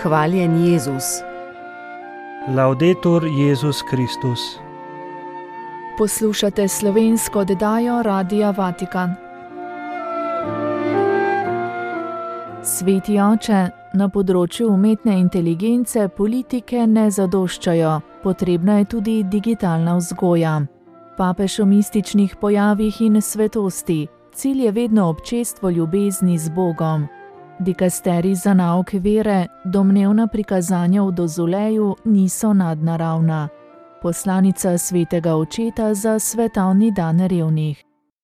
Hvaljen Jezus. Laudetur Jezus Kristus. Poslušate slovensko oddajo Radia Vatikan. Sveti oče, na področju umetne inteligence politike ne zadoščajo, potrebna je tudi digitalna vzgoja. Papež o mističnih pojavih in svetosti, cilj je vedno občestvo ljubezni z Bogom. Dikasterij za nauk vere, domnevna prikazanja v dozoleju niso nadnaravna. Poslanica svetega očeta za svetovni dan revnih.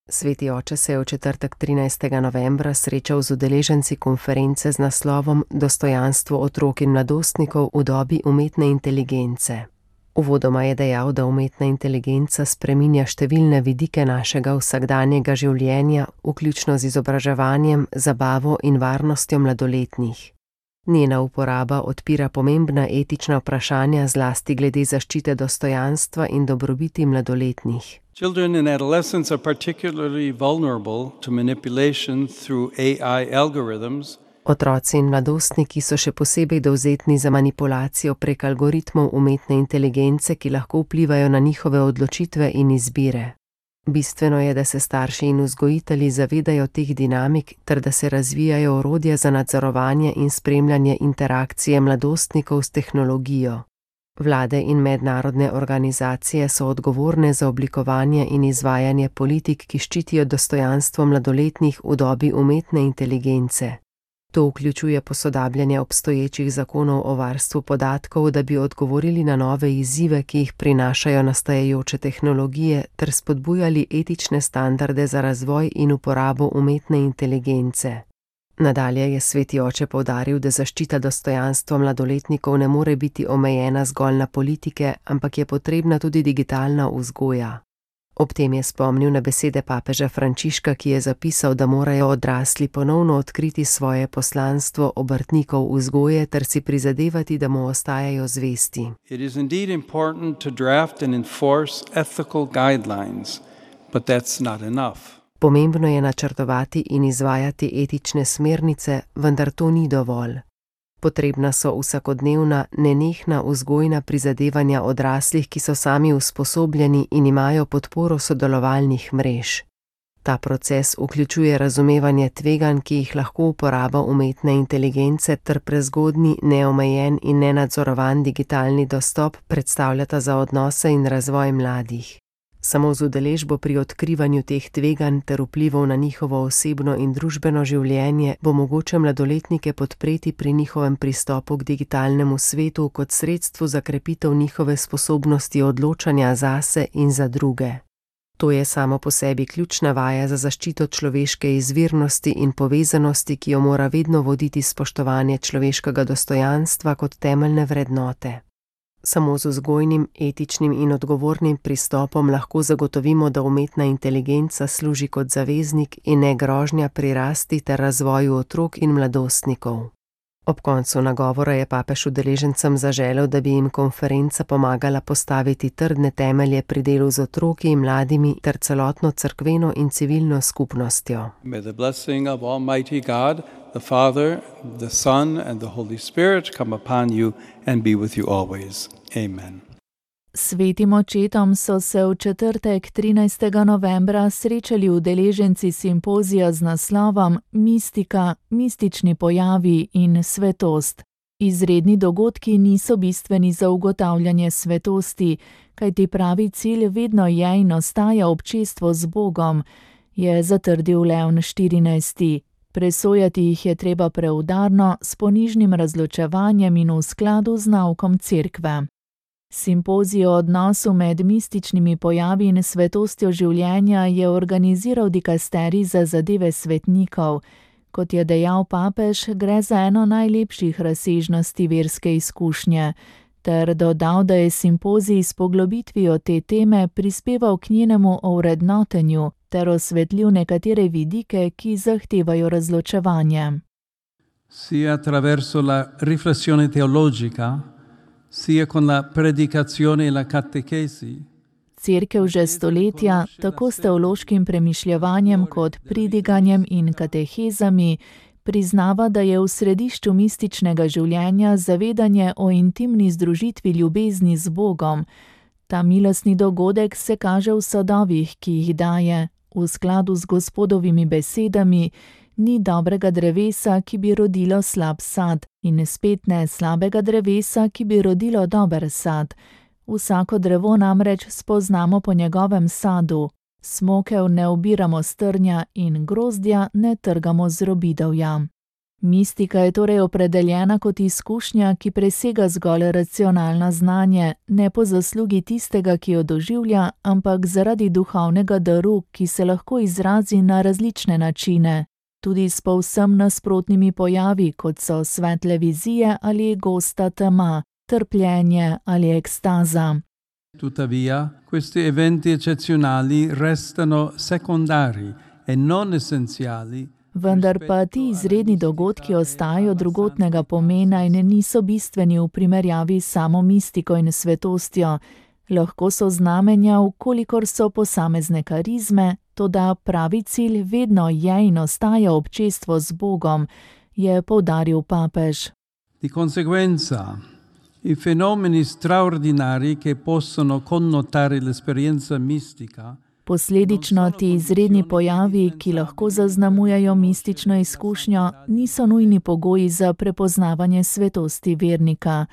Sveti oče se je v četrtek 13. novembra srečal z udeleženci konference z naslovom Dostojanstvo otrok in mladostnikov v dobi umetne inteligence. Uvodoma je dejal, da umetna inteligenca spreminja številne vidike našega vsakdanjega življenja, vključno z izobraževanjem, zabavo in varnostjo mladoletnih. Njena uporaba odpira pomembna etična vprašanja, zlasti glede zaščite dostojanstva in dobrobiti mladoletnih. Children and adolescents are particularly vulnerable to manipulation through AI algorithms. Otroci in mladostniki so še posebej dovzetni za manipulacijo prek algoritmov umetne inteligence, ki lahko vplivajo na njihove odločitve in izbire. Bistveno je, da se starši in vzgojitelji zavedajo teh dinamik ter da se razvijajo orodja za nadzorovanje in spremljanje interakcije mladostnikov s tehnologijo. Vlade in mednarodne organizacije so odgovorne za oblikovanje in izvajanje politik, ki ščitijo dostojanstvo mladoletnih v dobi umetne inteligence. To vključuje posodabljanje obstoječih zakonov o varstvu podatkov, da bi odgovorili na nove izzive, ki jih prinašajo nastajajoče tehnologije, ter spodbujali etične standarde za razvoj in uporabo umetne inteligence. Nadalje je sveti oče poudaril, da zaščita dostojanstva mladoletnikov ne more biti omejena zgolj na politike, ampak je potrebna tudi digitalna vzgoja. Ob tem je spomnil na besede papeža Frančiška, ki je zapisal, da morajo odrasli ponovno odkriti svoje poslanstvo obrtnikov vzgoje ter si prizadevati, da mu ostajajo zvesti. It is indeed important to draft and enforce ethical guidelines, but that's not enough. Pomembno je načrtovati in izvajati etične smernice, vendar to ni dovolj. Potrebna so vsakodnevna, nenehna vzgojna prizadevanja odraslih, ki so sami usposobljeni in imajo podporo sodelovalnih mrež. Ta proces vključuje razumevanje tveganj, ki jih lahko uporaba umetne inteligence, ter prezgodnji, neomejen in nenadzorovan digitalni dostop predstavljata za odnose in razvoj mladih. Samo z udeležbo pri odkrivanju teh tveganj ter vplivov na njihovo osebno in družbeno življenje bo mogoče mladoletnike podpreti pri njihovem pristopu k digitalnemu svetu kot sredstvu za krepitev njihove sposobnosti odločanja zase in za druge. To je samo po sebi ključna vaja za zaščito človeške izvirnosti in povezanosti, ki jo mora vedno voditi spoštovanje človeškega dostojanstva kot temeljne vrednote. Samo z vzgojnim, etičnim in odgovornim pristopom lahko zagotovimo, da umetna inteligenca služi kot zaveznik in ne grožnja pri rasti ter razvoju otrok in mladostnikov. Ob koncu nagovora je papež udeležencem zaželel, da bi jim konferenca pomagala postaviti trdne temelje pri delu z otroki in mladimi ter celotno cerkveno in civilno skupnostjo. May the blessing of Almighty God, the Father, the Son and the Holy Spirit come upon you and be with you always. Amen. Svetim očetom so se v četrtek 13. novembra srečali udeleženci simpozija z naslovom Mistika, mistični pojavi in svetost. Izredni dogodki niso bistveni za ugotavljanje svetosti, kajti pravi cilj vedno je in ostaja občestvo z Bogom, je zatrdil Leon XIV. Presojati jih je treba preudarno, s ponižnim razločevanjem in v skladu z naukom Cerkve. Simpozij o odnosu med mističnimi pojavi in svetostjo življenja je organiziral dikasterij za zadeve svetnikov. Kot je dejal papež, gre za eno najlepših razsežnosti verske izkušnje, ter dodal, da je simpozij s poglobitvijo te teme prispeval k njenemu ovrednotenju ter osvetlil nekatere vidike, ki zahtevajo razločevanje. Sia attraverso la riflessione teologica, sia con la predicazione e la catechesi. Cerkev že stoletja, tako s teološkim premišljevanjem kot pridiganjem in katehezami, Priznava, da je v središču mističnega življenja zavedanje o intimni združitvi ljubezni z Bogom. Ta milostni dogodek se kaže v sadovih, ki jih daje, v skladu z Gospodovimi besedami: ni dobrega drevesa, ki bi rodilo slab sad, in spet ne slabega drevesa, ki bi rodilo dober sad. Vsako drevo namreč spoznamo po njegovem sadu. Smokev ne obiramo s trnja in grozdja ne trgamo z robidovja. Mistika je torej opredeljena kot izkušnja, ki presega zgolj racionalno znanje, ne po zaslugi tistega, ki jo doživlja, ampak zaradi duhovnega daru, ki se lahko izrazi na različne načine, tudi s povsem nasprotnimi pojavi, kot so svetle vizije ali gosta tema, trpljenje ali ekstaza. Tuttavia, questi eventi eccezionali restano secondari e non essenziali. Vendar pa ti izredni dogodki ostajajo drugotnega pomena in niso bistveni v primerjavi s samo mistiko in svetostjo. Lahko so znamenja, vkolikor so posamezne karizme, toda pravi cilj vedno je in ostaja občestvo z Bogom, je poudaril papež. Di conseguenza, i fenomeni straordinari che possono connotare l'esperienza mistica. Posledično ti izredni pojavi, ki lahko zaznamujejo mistično izkušnjo, niso nujni pogoji za prepoznavanje svetosti vernika.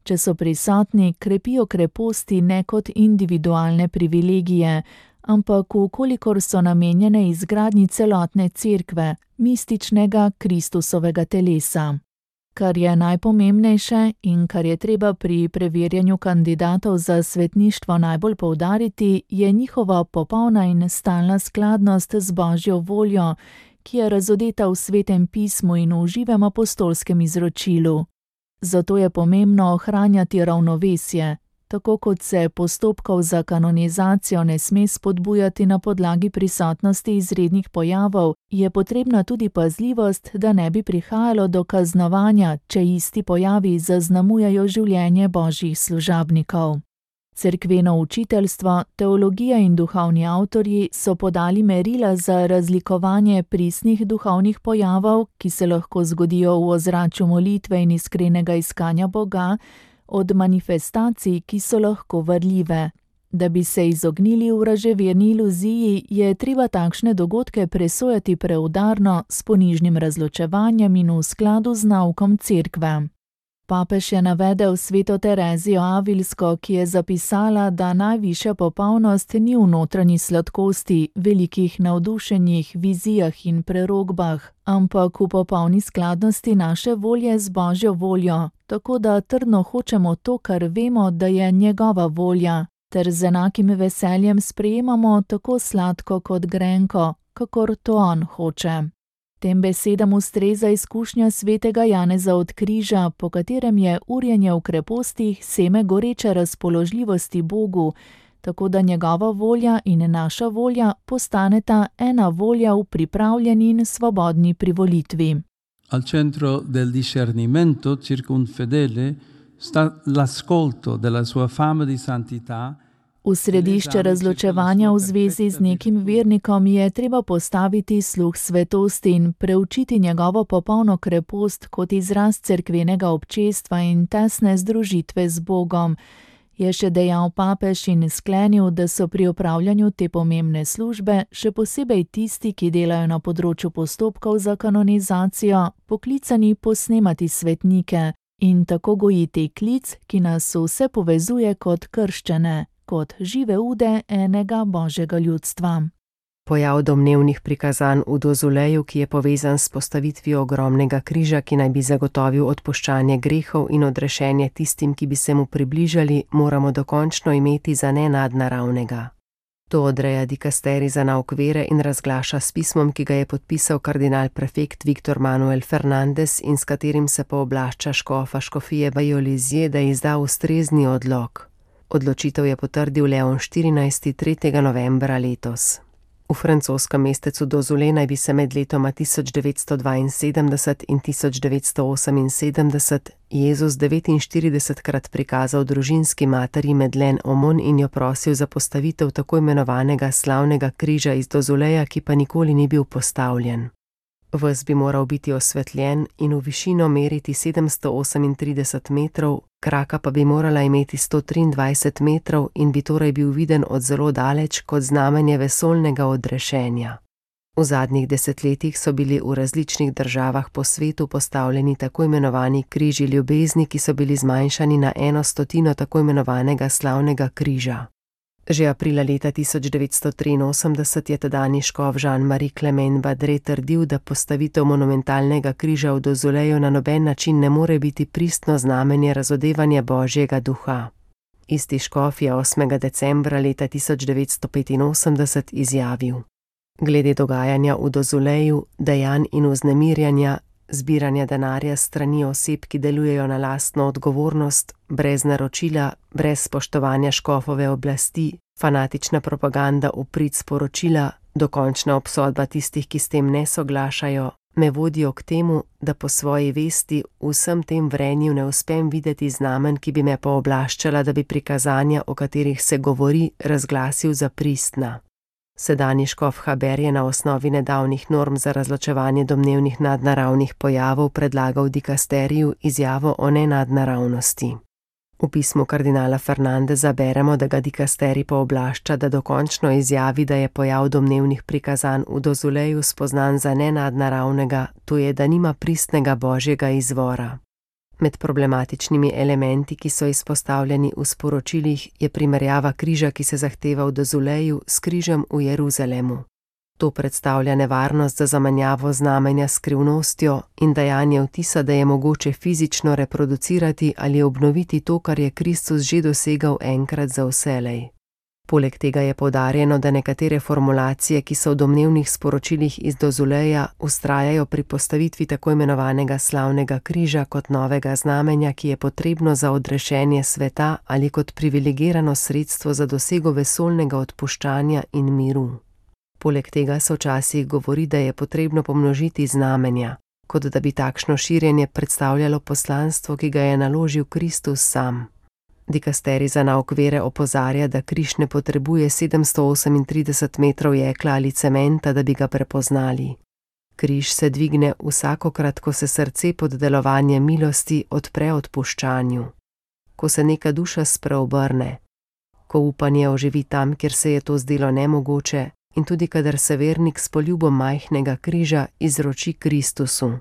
Če so prisotni, krepijo kreposti ne kot individualne privilegije, ampak vkolikor so namenjene izgradnji celotne cerkve, mističnega Kristusovega telesa. Kar je najpomembnejše in kar je treba pri preverjanju kandidatov za svetništvo najbolj poudariti, je njihova popolna in stalna skladnost z Božjo voljo, ki je razodeta v Svetem pismu in v živem apostolskem izročilu. Zato je pomembno ohranjati ravnovesje. Tako kot se postopkov za kanonizacijo ne sme spodbujati na podlagi prisotnosti izrednih pojavov, je potrebna tudi pazljivost, da ne bi prihajalo do kaznovanja, če isti pojavi zaznamujejo življenje božjih služabnikov. Cerkveno učiteljstvo, teologija in duhovni avtorji so podali merila za razlikovanje pristnih duhovnih pojavov, ki se lahko zgodijo v ozračju molitve in iskrenega iskanja Boga, od manifestacij, ki so lahko varljive. Da bi se izognili vraževerni iluziji, je treba takšne dogodke presojati preudarno, s ponižnim razločevanjem in v skladu z naukom cerkve. Papež je navedel sveto Terezijo Avilsko, ki je zapisala, da najvišja popolnost ni v notranji sladkosti, velikih navdušenjih, vizijah in prerogbah, ampak v popolni skladnosti naše volje z Božjo voljo, tako da trdno hočemo to, kar vemo, da je njegova volja, ter z enakim veseljem sprejemamo tako sladko kot grenko, kakor to on hoče. Tem besedam ustreza izkušnja svetega Janeza od križa, po katerem je urjenje v krepostih seme goreče razpoložljivosti Bogu, tako da njegova volja in naša volja postaneta ena volja v pripravljeni in svobodni privolitvi. Al centro del discernimento circa un fedele sta l'ascolto della sua fama di santità. V središče razločevanja v zvezi z nekim vernikom je treba postaviti sluh svetosti in preučiti njegovo popolno krepost kot izraz cerkvenega občestva in tesne združitve z Bogom. Je še dejal papež in sklenil, da so pri opravljanju te pomembne službe, še posebej tisti, ki delajo na področju postopkov za kanonizacijo, poklicani posnemati svetnike in tako gojiti klic, ki nas vse povezuje kot krščane, kot žive ude enega Božjega ljudstva. Pojav domnevnih prikazanj v Dozuleju, ki je povezan s postavitvijo ogromnega križa, ki naj bi zagotovil odpuščanje grehov in odrešenje tistim, ki bi se mu približali, moramo dokončno imeti za nenadnaravnega. To odreja dikasterij za nauk vere in razglaša s pismom, ki ga je podpisal kardinal prefekt Viktor Manuel Fernandez in s katerim se pooblašča škofa škofije Bayolizije, da izda ustrezni odlok. Odločitev je potrdil Leon XIV. 3. novembra letos. V francoskem mestecu Dozule naj bi se med letoma 1972 in 1978 Jezus 49krat prikazal družinski materi Madeleine Aumont in jo prosil za postavitev tako imenovanega slavnega križa iz Dozuleja, ki pa nikoli ni bil postavljen. Ves bi moral biti osvetljen in v višino meriti 738 metrov, kraka pa bi morala imeti 123 metrov in bi torej bil viden od zelo daleč kot znamenje vesoljnega odrešenja. V zadnjih desetletjih so bili v različnih državah po svetu postavljeni tako imenovani križi ljubezni, ki so bili zmanjšani na 1/100 tako imenovanega slavnega križa. Že aprila leta 1983 je tedajni škof Jean-Marie Clement Badret trdil, da postavitev monumentalnega križa v Dozuleju na noben način ne more biti pristno znamenje razodevanja Božjega duha. Isti škof je 8. decembra leta 1985 izjavil: Glede dogajanja v Dozuleju, dejanj in vznemirjanja, zbiranja denarja s strani oseb, ki delujejo na lastno odgovornost, brez naročila, brez spoštovanja škofove oblasti, fanatična propaganda v prid sporočila, dokončna obsodba tistih, ki s tem ne soglašajo, me vodijo k temu, da po svoji vesti v vsem tem vrenju ne uspem videti znamen, ki bi me pooblaščala, da bi prikazanja, o katerih se govori, razglasil za pristna. Sedanji škof Haber je na osnovi nedavnih norm za razločevanje domnevnih nadnaravnih pojavov predlagal dikasteriju izjavo o nenadnaravnosti. V pismu kardinala Fernandeza beremo, da ga dikasterij pooblašča, da dokončno izjavi, da je pojav domnevnih prikazanj v Dozuleju spoznan za nenadnaravnega, to je, da nima pristnega božjega izvora. Med problematičnimi elementi, ki so izpostavljeni v sporočilih, je primerjava križa, ki se zahteva v Dozuleju, s križem v Jeruzalemu. To predstavlja nevarnost za zamenjavo znamenja s skrivnostjo in dajanje vtisa, da je mogoče fizično reproducirati ali obnoviti to, kar je Kristus že dosegal enkrat za vselej. Poleg tega je poudarjeno, da nekatere formulacije, ki so v domnevnih sporočilih iz Dozuleja, vztrajajo pri postavitvi tako imenovanega slavnega križa kot novega znamenja, ki je potrebno za odrešenje sveta ali kot privilegirano sredstvo za dosego vesoljnega odpuščanja in miru. Poleg tega se včasih govori, da je potrebno pomnožiti znamenja, kot da bi takšno širjenje predstavljalo poslanstvo, ki ga je naložil Kristus sam. Dikasterij za nauk vere opozarja, da križ ne potrebuje 738 metrov jekla ali cementa, da bi ga prepoznali. Križ se dvigne vsakokrat, ko se srce pod delovanjem milosti odpre odpuščanju. Ko se neka duša spreobrne, ko upanje oživi tam, kjer se je to zdelo nemogoče, in tudi kadar se vernik s poljubom majhnega križa izroči Kristusu.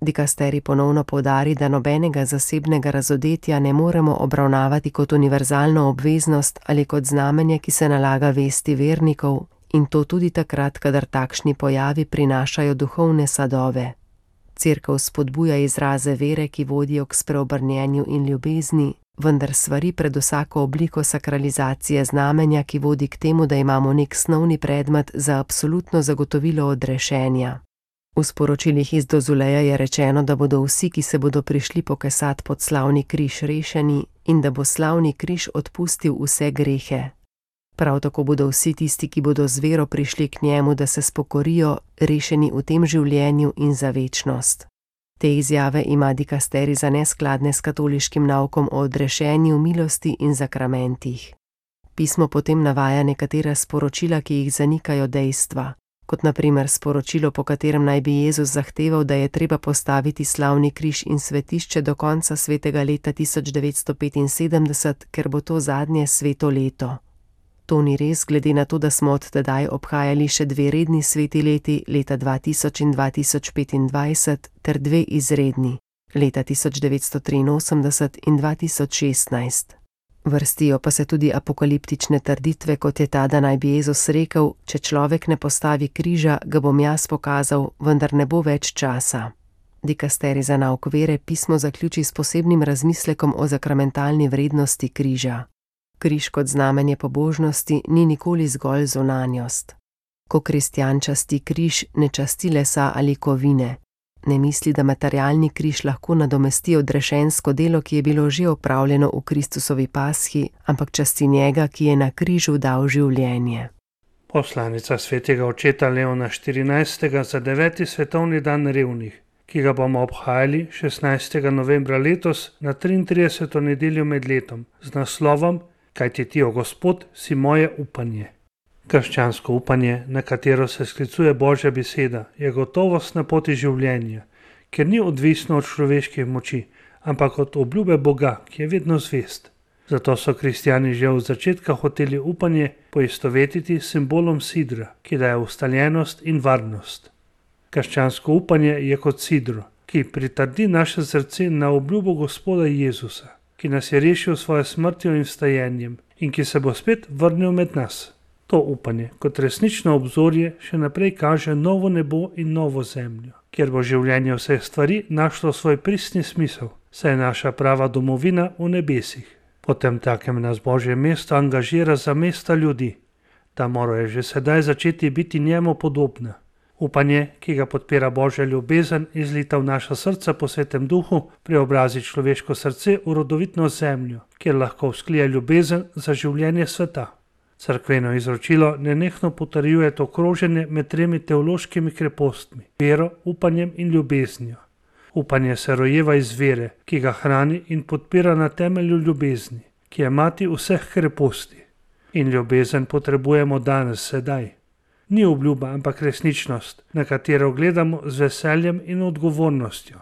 Dikasterij ponovno poudari, da nobenega zasebnega razodetja ne moremo obravnavati kot univerzalno obveznost ali kot znamenje, ki se nalaga vesti vernikov, in to tudi takrat, kadar takšni pojavi prinašajo duhovne sadove. Cerkev spodbuja izraze vere, ki vodijo k spreobrnjenju in ljubezni, vendar svari pred vsako obliko sakralizacije znamenja, ki vodi k temu, da imamo nek snovni predmet za absolutno zagotovilo odrešenja. V sporočilih iz Dozuleja je rečeno, da bodo vsi, ki se bodo prišli pokesat pod slavni križ, rešeni in da bo slavni križ odpustil vse grehe. Prav tako bodo vsi tisti, ki bodo z vero prišli k njemu, da se spokorijo, rešeni v tem življenju in za večnost. Te izjave ima dikasterij za neskladne s katoliškim naukom o odrešenju, milosti in zakramentih. Pismo potem navaja nekatera sporočila, ki jih zanikajo dejstva, kot na primer sporočilo, po katerem naj bi Jezus zahteval, da je treba postaviti slavni križ in svetišče do konca svetega leta 1975, ker bo to zadnje sveto leto. To ni res, glede na to, da smo od tedaj obhajali še 2 redni sveti leti, leta 2000 in 2025, ter 2 izredni, leta 1983 in 2016. Vrstijo pa se tudi apokaliptične trditve, kot je ta, da naj bi Jezus rekel: če človek ne postavi križa, ga bom jaz pokazal, vendar ne bo več časa. Dikasterij za nauk vere pismo zaključi s posebnim razmislekom o zakramentalni vrednosti križa. Križ kot znamenje pobožnosti ni nikoli zgolj zunanjost. Ko kristjan časti križ, ne časti lesa ali kovine. Ne misli, da materialni križ lahko nadomesti odrešensko delo, ki je bilo že opravljeno v Kristusovi pasji, ampak časti njega, ki je na križu dal življenje. Poslanica svetega očeta Leona XIV. Za 9. svetovni dan revnih, ki ga bomo obhajali 16. novembra letos na 33. nedeljo med letom z naslovom Kajti ti, o Gospod, si moje upanje. Krščansko upanje, na katero se sklicuje Božja beseda, je gotovost na poti življenja, ker ni odvisno od človeških moči, ampak od obljube Boga, ki je vedno zvest. Zato so kristjani že od začetka hoteli upanje poistovetiti s simbolom sidra, ki daje ustaljenost in varnost. Krščansko upanje je kot sidro, ki pritrdi naše srce na obljubo Gospoda Jezusa, ki nas je rešil svojo smrtjo in vstajenjem in ki se bo spet vrnil med nas. To upanje kot resnično obzorje še naprej kaže novo nebo in novo zemljo, kjer bo življenje vseh stvari našlo svoj pristni smisel, saj je naša prava domovina v nebesih. Potem takem nas Božje mesto angažira za mesta ljudi. Ta morajo že sedaj začeti biti njemu podobna. Upanje, ki ga podpira Božja ljubezen, izlita v naša srca po Svetem Duhu, preobrazi človeško srce v rodovitno zemljo, kjer lahko vzklije ljubezen za življenje sveta. Cerkveno izročilo nenehno potrjuje to kroženje med tremi teološkimi krepostmi, vero, upanjem in ljubeznijo. Upanje se rojeva iz vere, ki ga hrani in podpira na temelju ljubezni, ki je mati vseh kreposti. In ljubezen potrebujemo danes, sedaj. Ni obljuba, ampak resničnost, na katero gledamo z veseljem in odgovornostjo.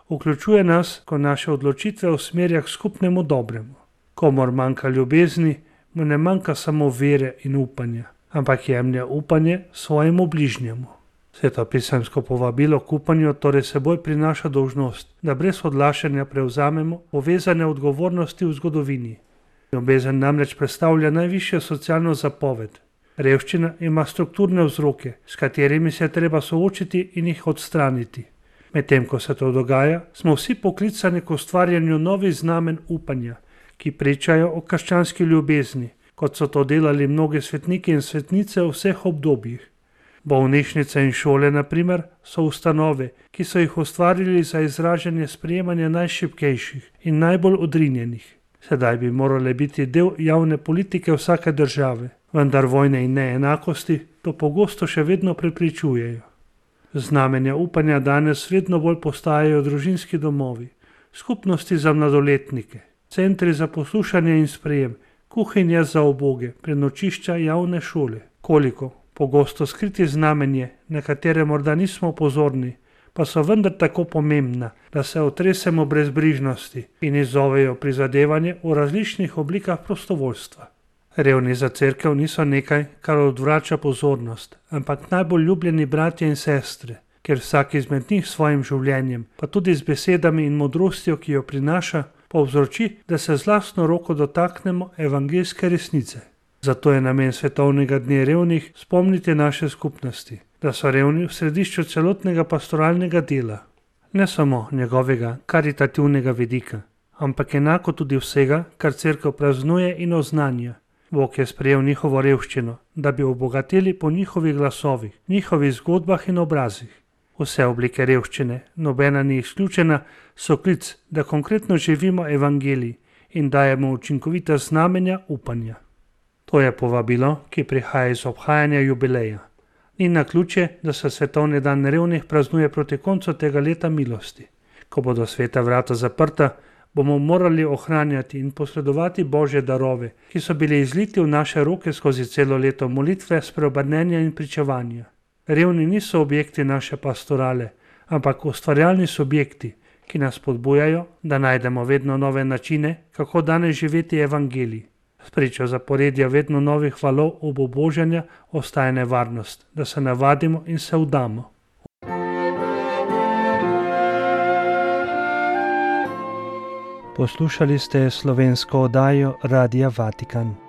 Vključuje nas, ko naše odločitve usmerja k skupnemu dobremu. Komor manjka ljubezni, mu ne manjka samo vere in upanja, ampak jemlje upanje svojemu bližnjemu. Svetopisemsko povabilo k upanju torej seboj prinaša dolžnost, da brez odlašanja prevzamemo povezane odgovornosti v zgodovini. Ljubezen namreč predstavlja najvišjo socialno zapoved. Revščina ima strukturne vzroke, s katerimi se je treba soočiti in jih odstraniti. Medtem ko se to dogaja, smo vsi poklicani k ustvarjanju novih znamen upanja, ki pričajo o krščanski ljubezni, kot so to delali mnogi svetniki in svetnice v vseh obdobjih. Bolnišnice in šole, na primer, so ustanove, ki so jih ustvarili za izražanje sprejemanja najšibkejših in najbolj odrinjenih. Sedaj bi morale biti del javne politike vsake države, vendar vojne in neenakosti to pogosto še vedno prepričujejo. Znamenja upanja danes vedno bolj postajajo družinski domovi, skupnosti za mladoletnike, centri za poslušanje in sprejem, kuhinja za uboge, prenočišča, javne šole. Koliko pogosto skriti znamenje, na katere morda nismo pozorni, pa so vendar tako pomembna, da se otresemo brezbrižnosti in izzovejo prizadevanje v različnih oblikah prostovoljstva. Revni za cerkev niso nekaj, kar odvrača pozornost, ampak najbolj ljubljeni bratje in sestre, ker vsak izmed njih s svojim življenjem, pa tudi z besedami in modrostjo, ki jo prinaša, povzroči, da se z lastno roko dotaknemo evangeljske resnice. Zato je namen svetovnega dne revnih spomniti naše skupnosti, da so revni v središču celotnega pastoralnega dela, ne samo njegovega karitativnega vidika, ampak enako tudi vsega, kar cerkev praznuje in oznanja. Bog je sprejel njihovo revščino, da bi obogatili po njihovih glasovih, njihovih zgodbah in obrazih. Vse oblike revščine, nobena ni izključena, so klic, da konkretno živimo evangelij in dajemo učinkovita znamenja upanja. To je povabilo, ki prihaja iz obhajanja jubileja. Ni naključje, da se svetovni dan revnih praznuje proti koncu tega leta milosti. Ko bodo sveta vrata zaprta, bomo morali ohranjati in posredovati Božje darove, ki so bili izliti v naše roke skozi celo leto molitve, spreobrnenja in pričevanja. Revni niso objekti naše pastorale, ampak ustvarjalni subjekti, ki nas spodbujajo, da najdemo vedno nove načine, kako danes živeti evangelij. Spričo zaporedja vedno novih valov obubožanja ostaja nevarnost, da se navadimo in se vdamo. Poslušali ste slovensko oddajo Radia Vatikan.